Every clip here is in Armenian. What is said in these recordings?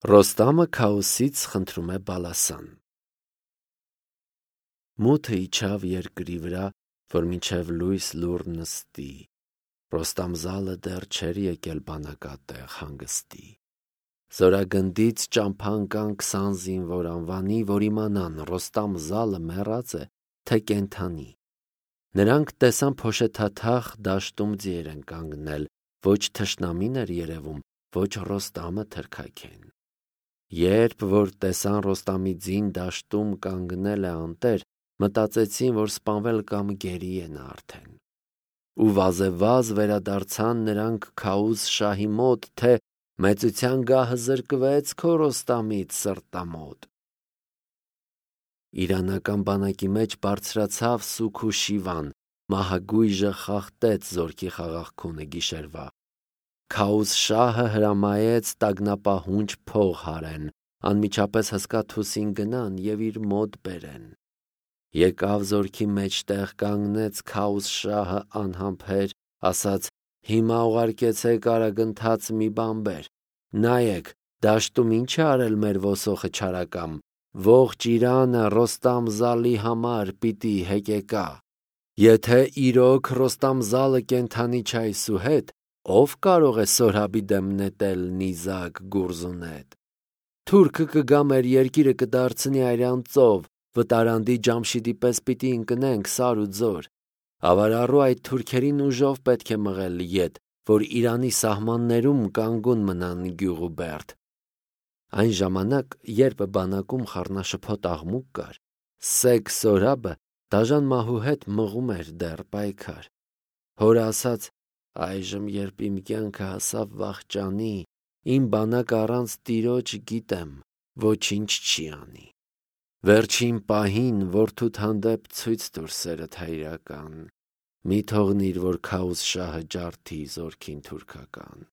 Ռոստամը Քաոսից խնդրում է Բալասան։ Մութը իջավ երկրի վրա, որ մինչև լույս լուռ նստի։ Ռոստամ զալը դեռ չէր եկել բանակատեղ հանգստի։ Զորագնդից ճամփան կան 20 զինվոր անվանի, որ իմանան Ռոստամ զալը մեռած է, թե կենդանի։ Նրանք տեսան փոշեթաթախ դաշտում ձիեր են կանգնել, ոչ թշնամին էր երևում, ոչ Ռոստամը թրքաքեն։ Երբ որ տեսան Ռոստամի ձին դաշտում կանգնել է անտեր, մտածեցին, որ սպանվել կամ գերի է նա արդեն։ Ու վազեվազ վերադարձան նրանք Քաուս շահի մոտ, թե մեծության գահը զրկվեց քո Ռոստամից սրտամոտ։ Իրանական բանակի մեջ բարձրացավ Սուք ու Շիվան, մահագույժը խախտեց զորքի խաղաղքունը գիշերվա։ Քաուս շահը հրամայեց տագնապահունչ փող հարեն, անմիջապես հսկաթուսին գնան և իր մոտ բերեն։ Եկավ զորքի մեջտեղ կանգնեց Քաուս շահը անհամբեր, ասաց. «Հիմա ուղարկեցեք արագընթաց մի բան բեր։ Նայեք, դաշտում ինչ է արել մեր ոսոխը չարակամ, ողջ Իրանը Ռոստամ զալի համար պիտի հեկեկա։ Եթե իրոք Ռոստամ զալը կենդանի չէ այսուհետ, ով կարող է Սորաբի դեմ նետել նիզակ գուրզունետ։ Թուրքը կգա մեր երկիրը կդարձնի արյան ծով, վտարանդի Ջամշիդի պես պիտի ընկնենք սար ու ձոր։ Ավարառու այդ թուրքերին ուժով պետք է մղել ետ, որ Իրանի սահմաններում կանգուն մնան գյուղ ու բերդ»։ Այն ժամանակ, երբ բանակում խառնաշփոթ աղմուկ կար, Սեգ Սորաբը դաժան մահու հետ մղում էր դեռ պայքար։ Հորը ասաց. «Այժմ, երբ իմ կյանքը հասավ վախճանի, իմ բանակը առանց տիրոջ գիտեմ, ոչինչ չի անի։ Վերջին պահին որդուդ հանդեպ ցույց տուր սերդ հայրական, մի թողնիր, որ Քաուս շահը ջարդի զորքին թուրքական։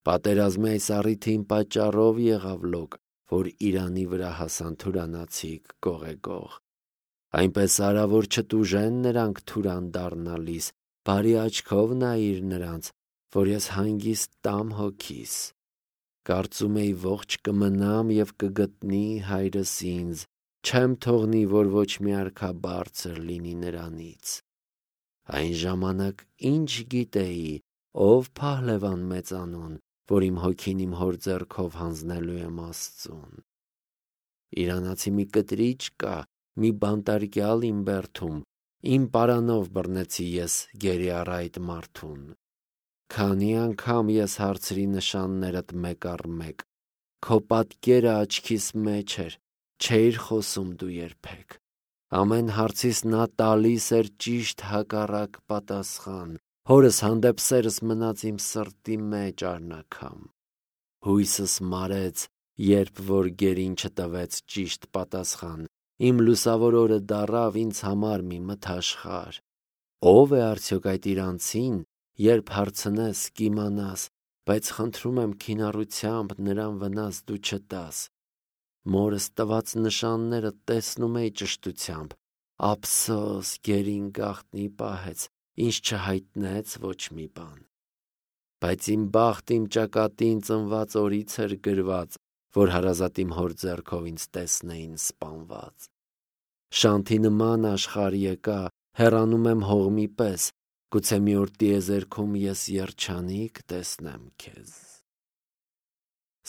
Պատերազմի այս առիթին պատճառով եղավ լոկ, որ Իրանի վրա հասան թուրանացիք գողեգող։ Այնպես արա, որ չտուժեն նրանք թուրան դառնալիս, բարի աչքով նայիր նրանց, որ ես հանգիստ տամ հոգիս։ Կարծում էի ողջ կմնամ և կգտնի հայրս ինձ, չեմ թողնի, որ ոչ մի արքա բարձր լինի նրանից։ Այն ժամանակ ինչ գիտեի, ով փահլևան մեծանուն, որ իմ հոգին իմ հոր ձեռքով հանձնելու եմ Աստծուն։ Իրանացի մի կտրիչ կա, մի բանտարկյալ իմ բերդում, իմ պարանով բռնեցի ես գերի առ այդ մարդուն։ Քանի անգամ ես հարցրի նշաններդ մեկ առ մեկ, քո պատկերը աչքիս մեջ էր, չէիր խոսում դու երբեք։ Ամեն հարցիս նա տալիս էր ճիշտ հակառակ պատասխան, հորս հանդեպ սերս մնաց իմ սրտի մեջ առնաքամ։ Հույսս մարեց, երբ որ գերին չտվեց ճիշտ պատասխան, իմ լուսավոր օրը դառավ ինձ համար մի մթաշխար։ Ո՞վ է արդյոք այդ իրանցին, երբ հարցնես կիմանաս, բայց խնդրում եմ քինառությամբ նրան վնաս դու չտաս։ Մորս տված նշանները տեսնում էի ճշտությամբ, ափսոս գերին գաղտնի պահեց, ինձ չհայտնեց ոչ մի բան։ Բայց իմ բախտ իմ ճակատին ծնված օրից էր գրված, որ հարազատ իմ հոր ձեռքով ինձ տեսնեին սպանված։ Շանթի նման աշխարհ եկա, հեռանում եմ հողմի պես, գուցե մի օր տիեզերքում ես երջանիկ տեսնեմ քեզ։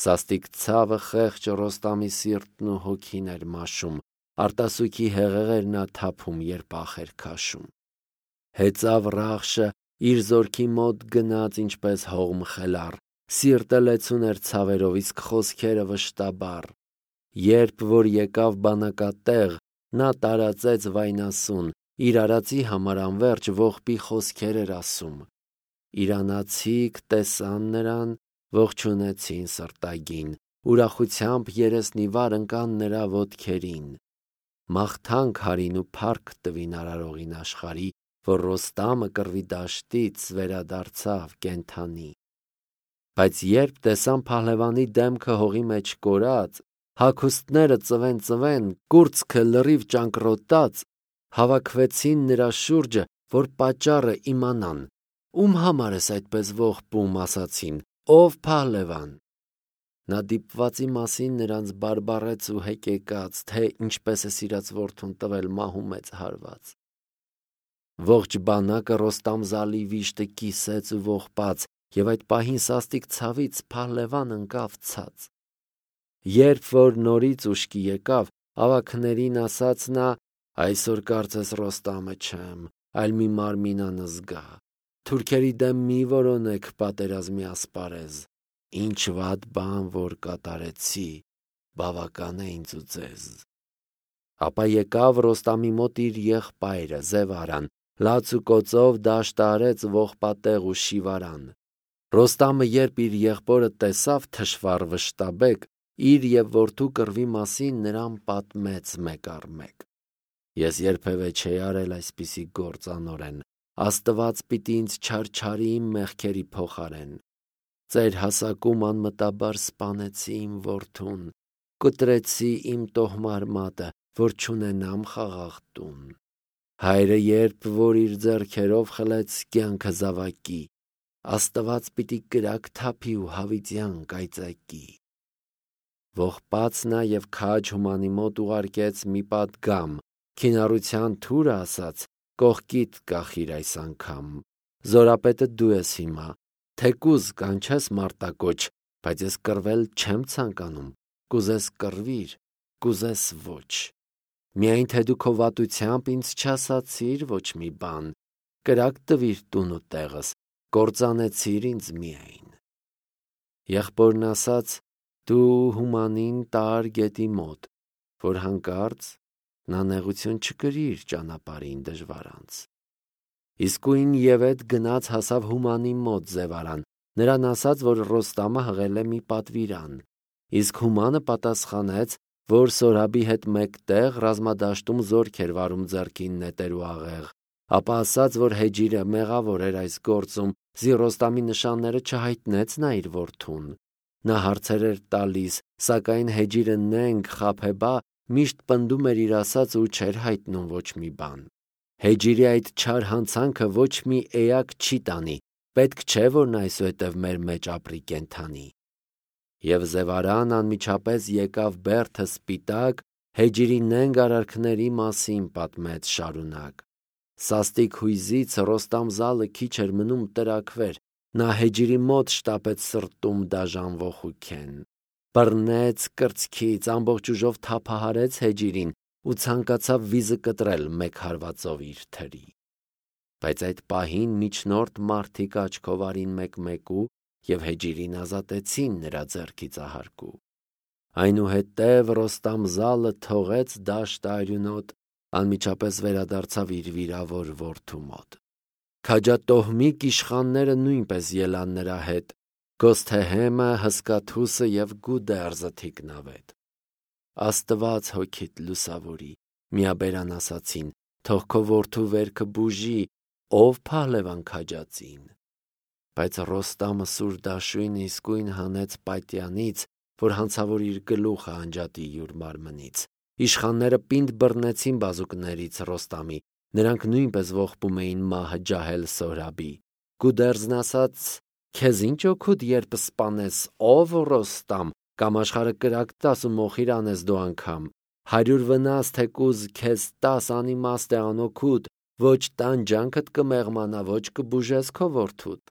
Սաստիկ ցավը խեղճ Ռոստամի սիրտն ու հոգին էր մաշում, արտասուքի հեղեղ էր նա թափում, երբ ախ էր քաշում։ Հեծավ Ռախշը, իր զորքի մոտ գնաց ինչպես հողմ խելառ, սիրտը լեցուն էր ցավերով, իսկ խոսքերը վշտաբար։ Երբ որ եկավ բանակատեղ, նա տարածեց վայնասուն, իր արածի համար անվերջ ողբի խոսքեր էր ասում։ Իրանացիք տեսան նրան, ողջունեցին սրտագին, ուրախությամբ երեսնիվար ընկան նրա ոտքերին։ Մաղթանք հարին ու փառք տվին արարողին աշխարհի, որ Ռոստամը կռվի դաշտից վերադարձավ կենդանի։ Բայց երբ տեսան փահլևանի դեմքը հողի մեջ կորած, հագուստները ծվեն, կուրծքը լրիվ ճանկռոտած, հավաքվեցին նրա շուրջը, որ պատճառը իմանան։ Ում համար ես այդպես ողբում, ասացին, ով փահլևան։ Նա դիպվածի մասին նրանց բարբառեց ու հեկեկաց, թե ինչպես է սիրած որդուն տվել մահու մեծ հարված։ Ողջ բանակը Ռոստամ-Զալի վիշտը կիսեց ու ողբաց, եւ այդ պահին սաստիկ ցավից Փահլևան ընկավ ցած։ Երբ որ նորից ուշքի եկավ, ավագներին ասաց նա. «Այսօր կարծես Ռոստամը չեմ, այլ մի մարմին անզգա։ Թուրքերի դեմ մի որոնեք պատերազմի ասպարեզ։ Ինչ վատ բան որ կատարեցի, բավական է ինձ ու ձեզ»։ Ապա եկավ Ռոստամի մոտ իր եղբայրը Զևարան, լաց ու կոծով դաշտ արեց ողբատեղ ու շիվարան։ Ռոստամը երբ իր եղբորը տեսավ թշվառ վշտաբեկ, իր եւ որդու կռվի մասին նրան պատմեց մեկ առ մեկ։ «Ես երբևէ չէի արել այսպիսի գործ անօրեն, Աստված պիտի ինձ չարչարի իմ մեղքերի փոխարեն։ Ծեր հասակում անմտաբար սպանեցի իմ որդուն, կտրեցի իմ տոհմար մատը, որ չունենամ խաղաղ տուն։ Հայրը երբ որ իր ձեռքերով խլեց կյանքը զավակի, Աստված պիտի կրակ թափի ու հավիտյան կայծակի»։ Ողբաց նա եւ քաջ Հումանի մոտ ուղարկեց մի պատգամ, քինառության թուրը ասաց. «Կողքիդ կախիր այս անգամ, զորապետը դու ես հիմա, թեկուզ կանչես մարտակոչ, բայց ես կռվել չեմ ցանկանում, կուզես կռվիր, կուզես ոչ։ Միայն թե դու քո վատությամբ ինձ չասացիր ոչ մի բան, կրակ տվիր տուն ու տեղս, կործանեցիր ինձ միայն»։ Եղբորն ասաց. «Դու Հումանին տար գետի մոտ, որ հանկարծ նա նեղություն չկրի իր ճանապարհին դժվարանց»։ Իսկույն ԵՒեթ գնաց հասավ Հումանի մոտ Զևարան, նրան ասաց, որ Ռոստամը հղել է մի պատվիրան։ Իսկ Հումանը պատասխանեց, որ Սորաբի հետ մեկտեղ ռազմադաշտում զորք էր վարում ձեռքին նետեր ու աղեղ, ապա ասաց, որ Հեջիրը մեղավոր էր այս գործում, զի Ռոստամի նշանները չհայտնեց նա իր որդուն։ Նա հարցեր էր տալիս, սակայն Հեջիրը նենգ խաբեբա միշտ պնդում էր իր ասածը ու չէր հայտնում ոչ մի բան։ Հեջիրի այդ չար հանցանքը ոչ մի էակ չի տանի, պետք չէ որ նա այսուհետև մեր մեջ ապրի կենթանի։ Եվ Զևարան անմիջապես եկավ բերդը սպիտակ, Հեջիրի նենգ արարքների մասին պատմեց շարունակ։ Սաստիկ հույզից Ռոստամ-Զալը քիչ էր մնում տրաքվեր, նա Հեջիրի մոտ շտապեց սրտում դաժան ոխուքեն։ Բռնեց կրծքից, ամբողջ ուժով թափահարեց Հեջիրին ու ցանկացավ վիզը կտրել մեկ հարվածով իր թրի։ Բայց այդ պահին միջնորդ մարդիկ աչքով արին մեկ-մեկու եւ Հեջիրին ազատեցին նրա ձեռքի ծահարկու։ Այնուհետև Ռոստամ-Զալը թողեց դաշտը արյունոտ, անմիջապես վերադարձավ իր վիրավոր որդու մոտ։ Քաջատոհմիկ իշխանները նույնպես ելան նրա հետ, Գոսթեհեմը, Հսկաթուսը եւ Գուդերզը թիկնավետ։ «Աստված հոգիդ լուսավորի», միաբերան ասացին, «թող քո որդու վերքը բուժի, ով Փահլևան քաջածին»։ Բայց Ռոստամը սուր դաշույնը իսկույն հանեց պատյանից, որ հանցավոր իր գլուխը անջատի յուր մարմնից։ Իշխանները պինդ բռնեցին բազուկներից Ռոստամի, նրանք նույնպես ողբում էին մահը ջահել Սորաբի։ Գուդերզն ասաց. «Քեզ ինչ օգուտ, երբ սպանես, ով Ռոստամ, կամ աշխարհը կրակ տաս ու մոխիր անես դու անգամ, 100 վնաս թեկուզ քեզ տաս անիմաստ է անօգուտ, ոչ տանջանքդ կմեղմանա, ոչ կբուժես քո որդուդ։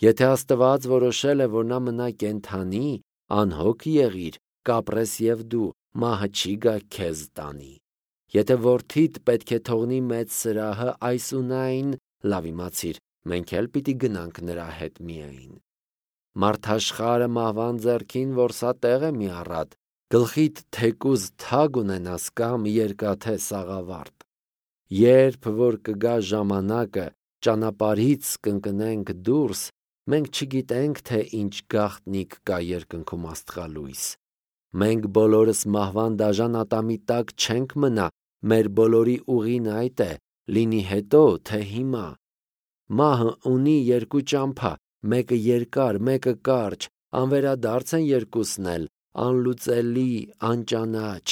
Եթե Աստված որոշել է, որ նա մնա կենթանի, անհոգ եղիր, կապրես եւ դու, մահը չի գա քեզ տանի։ Եթե որդիդ պետք է թողնի մեծ սրահը այսունայն, լավ իմացիր, մենք էլ պիտի գնանք նրա հետ միայն։ Մարդաշխարը մահվան ձեռքին որսատեղ է մի առատ, գլխիդ թեկուզ թագ ունենաս կամ երկաթե սաղավարտ։ Երբ որ կգա ժամանակը, ճանապարհից կընկնենք դուրս, մենք չգիտենք, թե ինչ գաղտնիք կա երկնքում աստղալույս։ Մենք բոլորս մահվան դաժան ատամի տակ չենք մնա, մեր բոլորի ուղին այդ է, լինի հետո, թե հիմա։ Մահը ունի երկու ճամփա, մեկը երկար, մեկը կարճ, անվերադարձ են երկուսն էլ, անլուծելի, անճանաչ։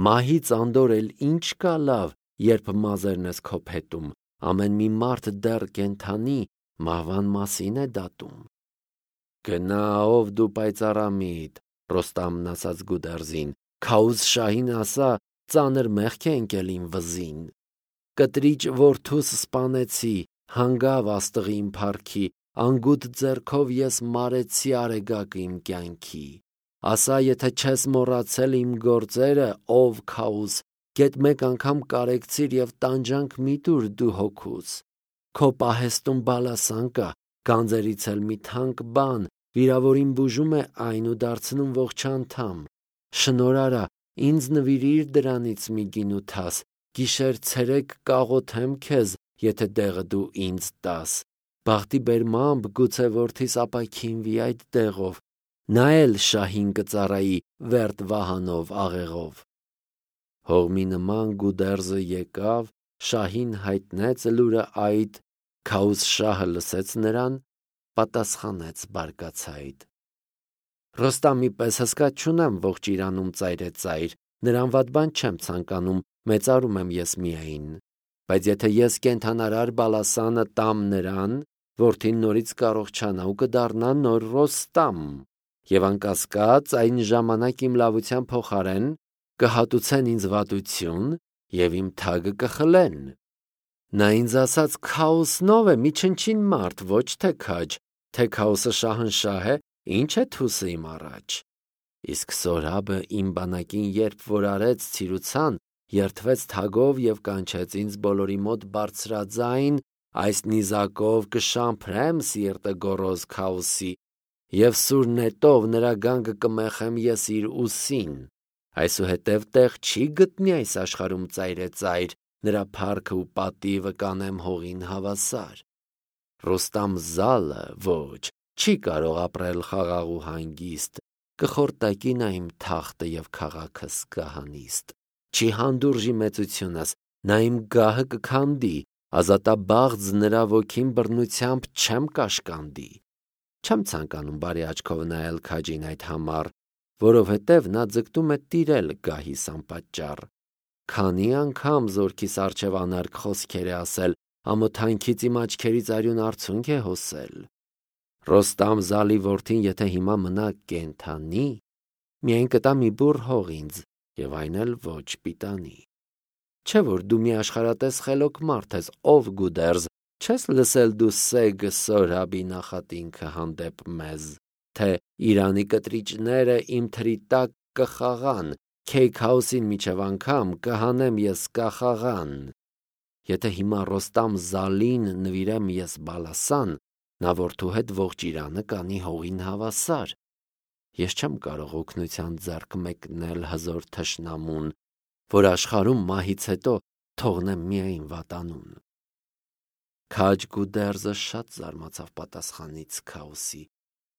Մահից անդոր էլ ինչ կա լավ, երբ մազերն ես քո փետում, ամեն մի մարդ դեռ կենթանի, մահվան մասին է դատում։ Գնա ով դու պայծառամիտ, Ռոստամն ասաց Գուդերզին, Քաուզ շահին ասա, ծանր մեղք է ընկել իմ վզին։ Կտրիչ որդուս սպանեցի, հանգավ աստղի իմ փառքի, անգութ ձեռքով ես մարեցի արեգակը իմ կյանքի։ Ասա, եթե չես մոռացել իմ գործերը, ով Քաուզ, գեթ մեկ անգամ կարեկցիր եւ տանջանք մի տուր դու հոգուս։ Քո պահեստում բալասան կա, գանձերից էլ մի թանկ բան, վիրավորին բուժում է այն ու դարձնում ողջ անդամ։ Շնոր արա, ինձ նվիրիր դրանից մի գինութաս, գիշեր ցերեկ կաղոթեմ քեզ, եթե դեղը դու ինձ տաս։ Բախտի բերմամբ գուցե որդիս ապաքինվի այդ դեղով, նա էլ շահին կծառայի վերտ վահանով աղեղով։ Հողմի նման Գուդերզը եկավ, շահին հայտնեց լուրը այդ, Քաուզ շահը լսեց նրան, պատասխանեց բարկացայդ. Ռոստամի պես հսկա չունեմ ողջ Իրանում ծայրեցայր, նրան վատ բան չեմ ցանկանում, մեծարում եմ ես միայն, բայց եթե ես կենթանարար բալասանը տամ նրան, որդին նորից կառողջանա ու կդառնա նոր Ռոստամ, եւ անկասկած այն ժամանակ իմ լավության փոխարեն կհատուցեն ինձ վատություն եւ իմ թագը կխլեն։ Նա ինձ ասաց Քաոսնով է, մի չնչին մարդ, ոչ թե քաջ, թե Քաոսը շահնշահ է, ինչ է թուսը իմ առաջ։ Իսկ Սորաբը իմ բանակին երբ որ արեց ցիրուցան, երթվեց թագով եւ կանչեց ինձ բոլորի մոտ բարձրաձայն, այս նիզակով կշամփրեմ սիրտը գոռոզ Քաոսի եւ սուր նետով նրա գանգը կմեխեմ ես իր ուսին։ Այսուհետև տեղ չի գտնի այս աշխարհում ծայրեցայր, նրա փառքը ու պատիվը կանեմ հողին հավասար։ Ռոստամ զալը ոչ, չի կարող ապրել խաղաղ ու հանգիստ, կխորտակի նա իմ թախտը եւ քաղաքս կհանիստ։ Չի հանդուրժի մեծությունս, նա իմ գահը կքանդի, ազատաբաղձ նրա ոգին բռնությամբ չեմ կաշկանդի։ Չեմ ցանկանում բարի աչքով նայել քաջին այդ համար, որովհետև նա ձգտում է տիրել գահիս անպատճառ։ Քանի անգամ զորքիս առջև անարգ խոսքեր է ասել, ամոթանքից իմ աչքերից արյուն արցունք է հոսել։ Ռոստամ զալի որդին եթե հիմա մնա կենթանի, միայն կտա մի բուռ հող ինձ, եւ այն էլ ոչ պիտանի։ Չէ որ դու մի աշխարհատես խելոք մարդ ես, ով Գուդերզ, չես լսել դու Սեգ Սորաբի նախատինքը հանդեպ մեզ, թե Իրանի կտրիճները իմ թրի տակ կխաղան, Քեյքհաուսին միջև անգամ կհանեմ ես կախաղան։ Եթե հիմա Ռոստամ զալին նվիրեմ ես բալասան, նա որդու հետ ողջ Իրանը կանի հողին հավասար։ Ես չեմ կարող օգնության ձեռք մեկնել հզոր թշնամուն, որ աշխարհում մահից հետո թողնեմ միայն վատանուն։ Քաջ Գուդերզը շատ զարմացավ պատասխանից Քաոսի,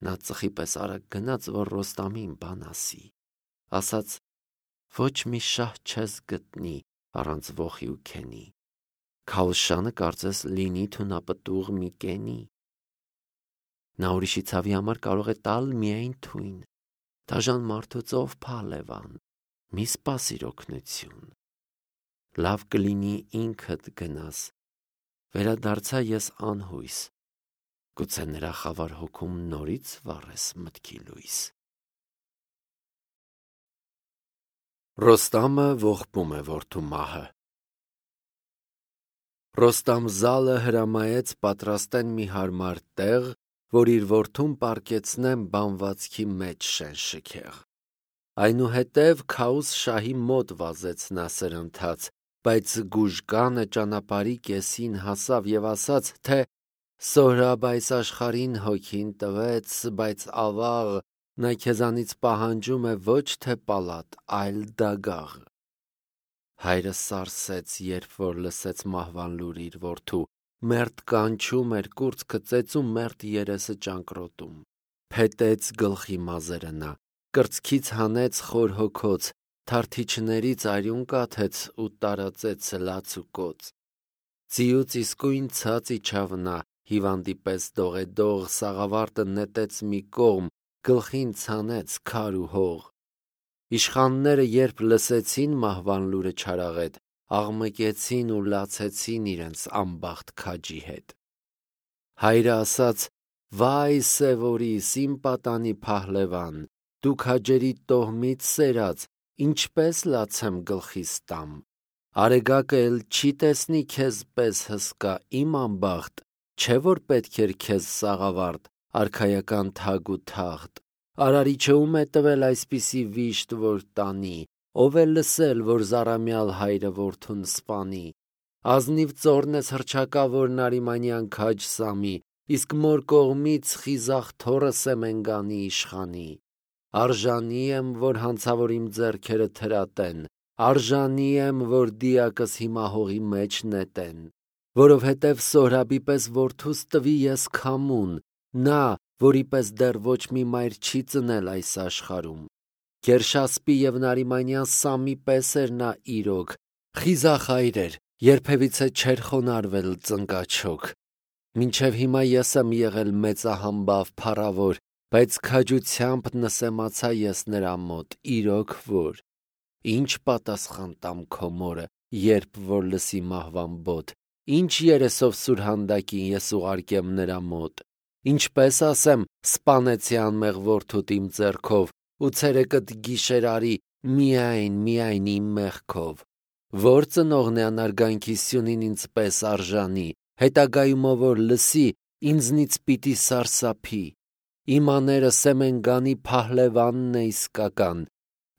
նա ծխի պես արագ գնաց, որ Ռոստամին բան ասի, ասաց. ոչ մի շահ չես գտնի առանց ոխի ու քենի, Քաոսշանը կարծես լինի թունապտուղ մի կենի։ Նա ուրիշի ցավի համար կարող է տալ միայն թույն, դաժան մարդուց ով փալևան, մի սպասիր օգնություն։ Լավ կլինի ինքդ գնաս, վերադարձա ես անհույս, գուցե նրա խավար հոգում նորից վառես մտքի լույս։ Ռոստամը ողբում է որդու մահը։ Ռոստամ զալը հրամայեց պատրաստեն մի հարմար տեղ, որ իր որդուն պառկեցնեն բանվածքի մեջ շենշքեղ։ Այնուհետև Քաուզ շահի մոտ վազեց նա սրընթաց, բայց Գուժկանը ճանապարհի կեսին հասավ եւ ասաց, թե Սորաբ այս աշխարհին հոգին տվեց, բայց ավաղ նա քեզանից պահանջում է ոչ թե պալատ, այլ դագաղ։ Հայրը սարսեց, երբ որ լսեց մահվան լուրը իր որդու, մերթ կանչում էր, կուրծքը ծեծում, մերթ երեսը ճանկռոտում։ Փետեց գլխի մազերը նա, կրծքից հանեց խոր հոգոց, թարթիչներից արյուն կաթեց ու տարածեց լաց ու կոծ։ Ձիուց իսկույն ցած իջավ նա, հիվանդի պես դողեդող, սաղավարտը նետեց մի կողմ, գլխին ցանեց քար ու հող։ Իշխանները երբ լսեցին մահվան լուրը չարաղետ, աղմկեցին ու լացեցին իրենց անբախտ քաջի հետ։ Հայրը ասաց, Վայ Սևորիս, իմ պատանի Փահլևան, դու քաջերի տոհմից սերած, ինչպես լացեմ գլխիս տամ։ Արեգակը էլ չի տեսնի քեզ պես հսկա, իմ անբախտ, չէ որ պետք էր քեզ սաղավարտ, արքայական թագ ու թախտ։ Արարիչը ում է տվել այսպիսի վիշտ, որ տանի, ով է լսել, որ զառամյալ հայրը որդուն սպանի։ Ազնիվ ծոռն ես հռչակավորն Արիմանյան քաջ Սամի, իսկ մոր կողմից խիզախ թոռը Սեմենգանի իշխանի։ Արժանի եմ, որ հանցավոր իմ ձեռքերը թրատեն, արժանի եմ, որ դիակս հիմա հողի մեջ նետեն, որովհետև Սոհրաբի պես որդուս տվի ես քամուն, նա, որի պես դեռ ոչ մի մայր չի ծնել այս աշխարհում։ Կերշասպի և Նարիմանյան Սամի պես էր նա իրոք, խիզախ հայր էր, երբևիցե չէր խոնարհվել ծնկաչոք։ Մինչև հիմա ես եմ եղել մեծահամբավ փառավոր, բայց քաջությամբ նսեմացա ես նրա մոտ, իրոք որ։ Ինչ պատասխան տամ քո մորը, երբ որ լսի մահվան բոտ, ինչ երեսով սուրհանդակին ես ուղարկեմ նրա մոտ, ինչպես ասեմ, սպանեցի անմեղ որդուտ իմ ձեռքով, ու ցերեկդ գիշեր արի միայն իմ մեղքով։ Որ ծնողն է անարգանքի սյունին ինձ պես արժանի, հետագայում որ լսի, ինձնից պիտի սարսափի։ Իմ աները Սեմենգանի Փահլևանն է իսկական,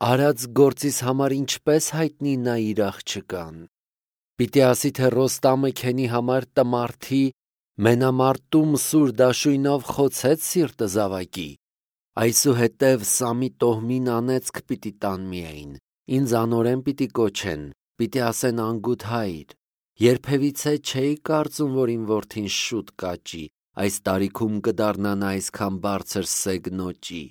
արած գործիս համար ինչպես հայտնի նա իր աղջկան։ Պիտի ասի, թե Ռոստամը քենի համար տմարդի, մենամարտում սուր դաշույնով խոցեց սիրտը զավակի։ Այսուհետև Սամի տոհմին անեծք պիտի տան միայն, ինձ անօրեն պիտի կոչեն, պիտի ասեն անգութ հայր։ Երբևիցե չէի կարծում, որ իմ որդին շուտ կաճի, այս տարիքում կդառնա նա այսքան բարձր սեգնոճի,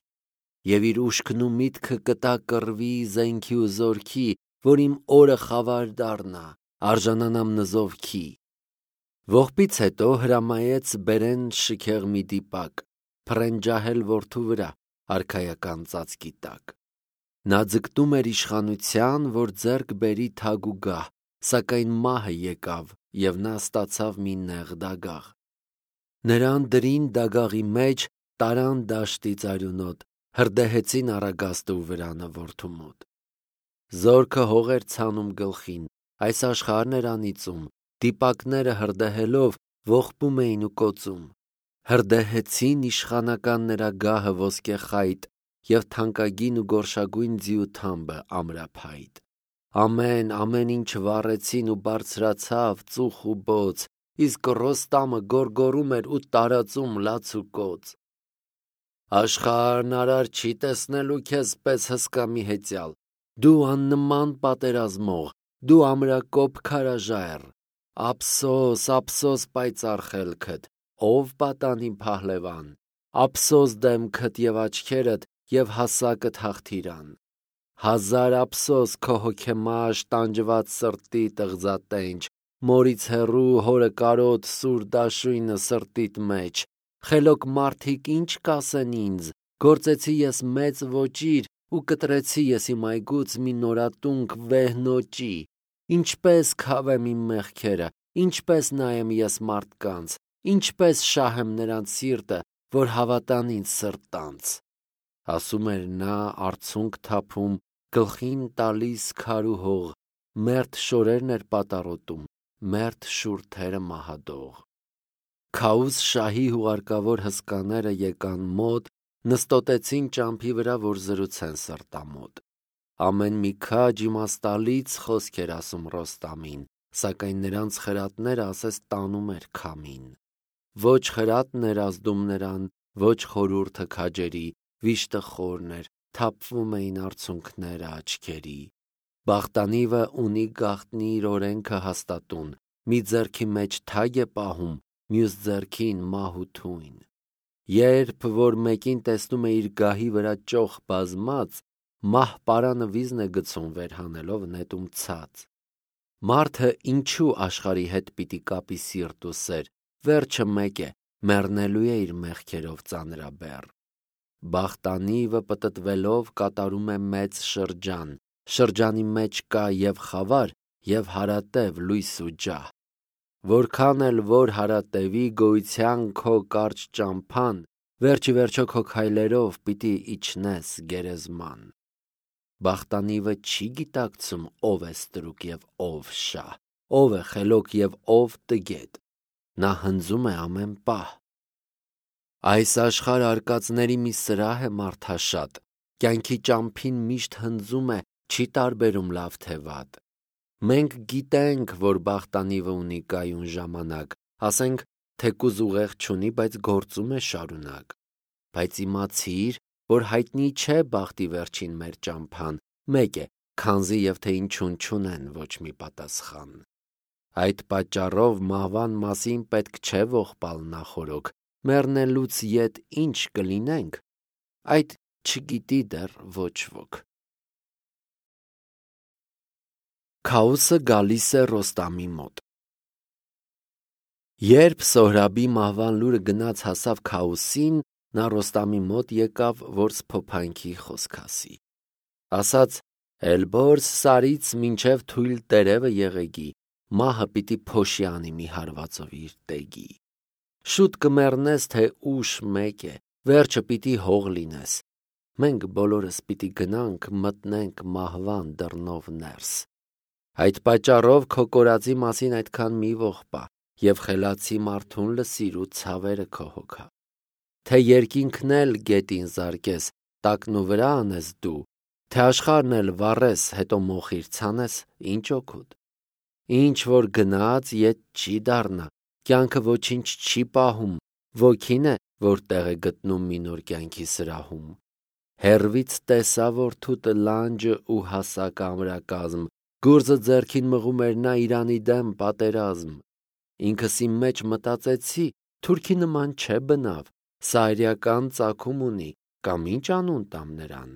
և իր ուշքն ու միտքը կտա կռվի, զենքի ու զորքի, որ իմ օրը խավար դառնա, արժանանամ նզովքի։ Ողբից հետո հրամայեց բերեն շքեղ մի դիպակ, փռեն ջահել որդու վրա, արքայական ծածկի տակ։ Նա ձգտում էր իշխանության, որ ձեռք բերի թագ ու գահ, սակայն մահը եկավ, և նա ստացավ մի նեղ դագաղ։ Նրան դրին դագաղի մեջ, տարան դաշտից արյունոտ, հրդեհեցին առագաստը ու վրանը որդու մոտ։ Զորքը հող էր ցանում գլխին, այս աշխարհն էր անիծում, դիպակները հրդեհելով ողբում էին ու կոծում։ Հրդեհեցին իշխանական նրա գահը ոսկե խայտ և թանկագին ու գորշագույն ձիու թամբը ամրափայտ։ Ամեն ինչ վառեցին ու բարձրացավ ծուխ ու բոց, իսկ Ռոստամը գոռգոռում էր ու տարածում լաց ու կոծ։ Աշխարհն արար չի տեսնելու քեզ պես հսկա մի հեծյալ, դու աննման պատերազմող, դու ամրակոպ քարաժայռ, ափսոս պայծառ խելքդ, ով պատանի Փահլևան, ափսոս դեմքդ և աչքերդ և հասակդ հաղթիրան։ Հազար ափսոս քո հոգեմաշ տանջված սրտի տղձատենչ, մորից հեռու հորը կարոտ սուր դաշույնը սրտիդ մեջ, խելոք մարդիկ ինչ կասեն ինձ, գործեցի ես մեծ ոճիր ու կտրեցի ես իմ այգուց մի նորատունք վեհ նոճի, ինչպես քավեմ իմ մեղքերը, ինչպես նայեմ ես մարդկանց, ինչպես շահեմ նրանց սիրտը, որ հավատան ինձ սրտանց։ Ասում էր նա, արցունք թափում, գլխին տալիս քար ու հող, մերթ շորերն էր պատառոտում, մերթ շուրթերը մահադող։ Քաուս շահի հուղարկավոր հսկաները եկան մոտ, նստոտեցին ճամփի վրա, որ զրուցեն սրտամոտ։ Ամեն մի քաջ իմաստալից խոսք էր ասում Ռոստամին, սակայն նրանց խրատները ասես տանում էր քամին։ Ոչ խրատն էր ազդում նրան, ոչ խորհուրդը քաջերի, վիշտը խորն էր, թափվում էին արցունքները աչքերի։ Բախտանիվը ունի գաղտնի իր օրենքը հաստատուն, մի ձեռքի մեջ թագ է պահում, մյուս ձեռքին մահ ու թույն։ Երբ որ մեկին տեսնում է իր գահի վրա ճոխ բազմած, մահ պարանը վիզն է գցում վեր հանելով նետում ցած։ Մարդը ինչու աշխարհի հետ պիտի կապի սիրտ ու սեր, վերջը մեկ է, մեռնելու է իր մեղքերով ծանրաբեռ։ Բախտանիվը պտտվելով կատարում է մեծ շրջան, շրջանի մեջ կա և խավար, և հարատև լույս ու ջահ։ որքան էլ որ հարատևի գոյության քո կարճ ճամփան, վերջի վերջո քո քայլերով պիտի իջնես գերեզման։ Բախտանիվը չի գիտակցում ով է ստրուկ եւ ով շահ, ով է խելոք եւ ով տգետ։ Նա հնձում է ամեն պահ։ Այս աշխարհ արկածների մի սրահ է մարդաշատ, կյանքի ճամփին միշտ հնձում է, չի տարբերում լավ թե վատ։ Մենք գիտենք, որ բախտանիվը ունի կայուն ժամանակ, ասենք, թեկուզ ուղեղ չունի, բայց գործում է շարունակ։ Բայց իմացիր, որ հայտնի չէ բախտի վերջին մեր ճամփան, մեկ է, քանզի եւ թե ինչուն չունեն ոչ մի պատասխան։ Այդ պատճառով մահվան մասին պետք չէ ողբալ նախորոք, մեռնելուց ետ ինչ կլինենք, այդ չգիտի դեռ ոչ ոք։ Քաոսը գալիս է Ռոստամի մոտ։ Երբ Սոհրաբի մահվան լուրը գնաց հասավ Քաոսին, նա Ռոստամի մոտ եկավ, որ սփոփանքի խոսք ասի։ Ասաց. «Էլբորս սարից մինչև թույլ տերևը եղեգի, մահը պիտի փոշի անի մի հարվածով իր տեգի։ Շուտ կմեռնես, թե ուշ մեկ է, վերջը պիտի հող լինես։ Մենք բոլորս պիտի գնանք, մտնենք մահվան դռնով ներս։ Այդ պատճառով քո կորածի մասին այդքան մի ողբա, եւ խելացի մարդուն լսիր ու ցավերը քո հոգա։ Թե երկինքն էլ գետին զարկես, տակն ու վրա անես դու, թե աշխարհն էլ վառես, հետո մոխիր ցանես, ինչ օգուտ։ Ինչ որ գնաց, ետ չի դառնա, կյանքը ոչինչ չի պահում, ոգին է, որ տեղ է գտնում մի նոր կյանքի սրահում։ Հեռվից տեսա որդուտը լանջը ու հասակ ամրակազմ, գործը ձեռքին մղում էր նա Իրանի դեմ պատերազմ։ Ինքս իմ մեջ մտածեցի, թուրքի նման չէ բնավ, սա արիական ծագում ունի, կամ ինչ անուն տամ նրան։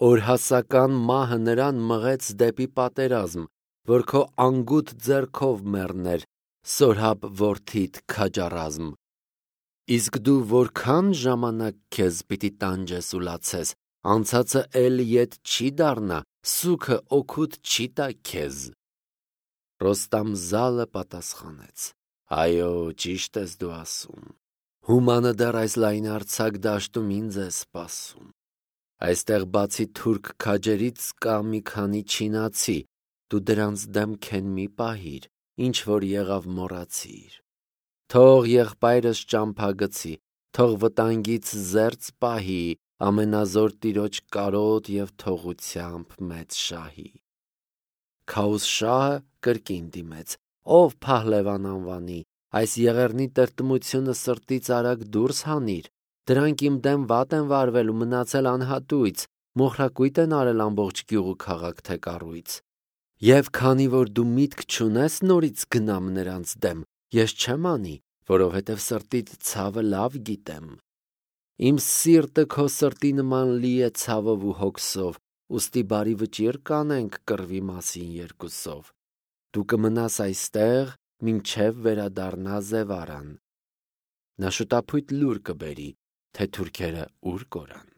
Օրհասական մահը նրան մղեց դեպի պատերազմ, որ քո անգութ ձեռքով մեռներ, Սորհաբ որդիդ քաջառազմ։ Իսկ դու որքան ժամանակ քեզ պիտի տանջես ու լացես, անցածը էլ ետ չի դառնա, սուգը օգուտ չի տա քեզ։ Ռոստամ զալը պատասխանեց. Այո, ճիշտ ես դու ասում։ Հումանը դեռ այս լայնարձակ դաշտում ինձ է սպասում։ Այստեղ բացի թուրք քաջերից կա մի քանի չինացի, դու դրանց դեմքեն մի պահիր, ինչ որ եղավ մոռացիր։ Թող եղբայրս ճամփագցի, թող վտանգից զերծ պահի, ամենազոր տիրոջ կարոտ եւ թողությամբ մեծ շահի։ Քաոս շահը կրկին դիմեց. Ով Փահլևան անվանի, այս եղեռնի տրտմությունը սրտից արագ դուրս հանիր, դրանք իմ դեմ վատ են վարվել ու մնացել անհատույց, մոխրակույտ են արել ամբողջ գյուղ ու քաղաք թե կառույց։ Եվ քանի որ դու միտք չունես նորից գնամ նրանց դեմ, ես չեմ անի, որովհետև սրտիդ ցավը լավ գիտեմ։ Իմ սիրտը քո սրտի նման լի է ցավով ու հոգսով, ուստի բարի վճիռ կանենք կռվի մասին երկուսով։ Դու կմնաս այստեղ, մինչև վերադառնա Զևարան։ Նա շուտափույթ լուր կբերի, թե թուրքերը ուր կորան։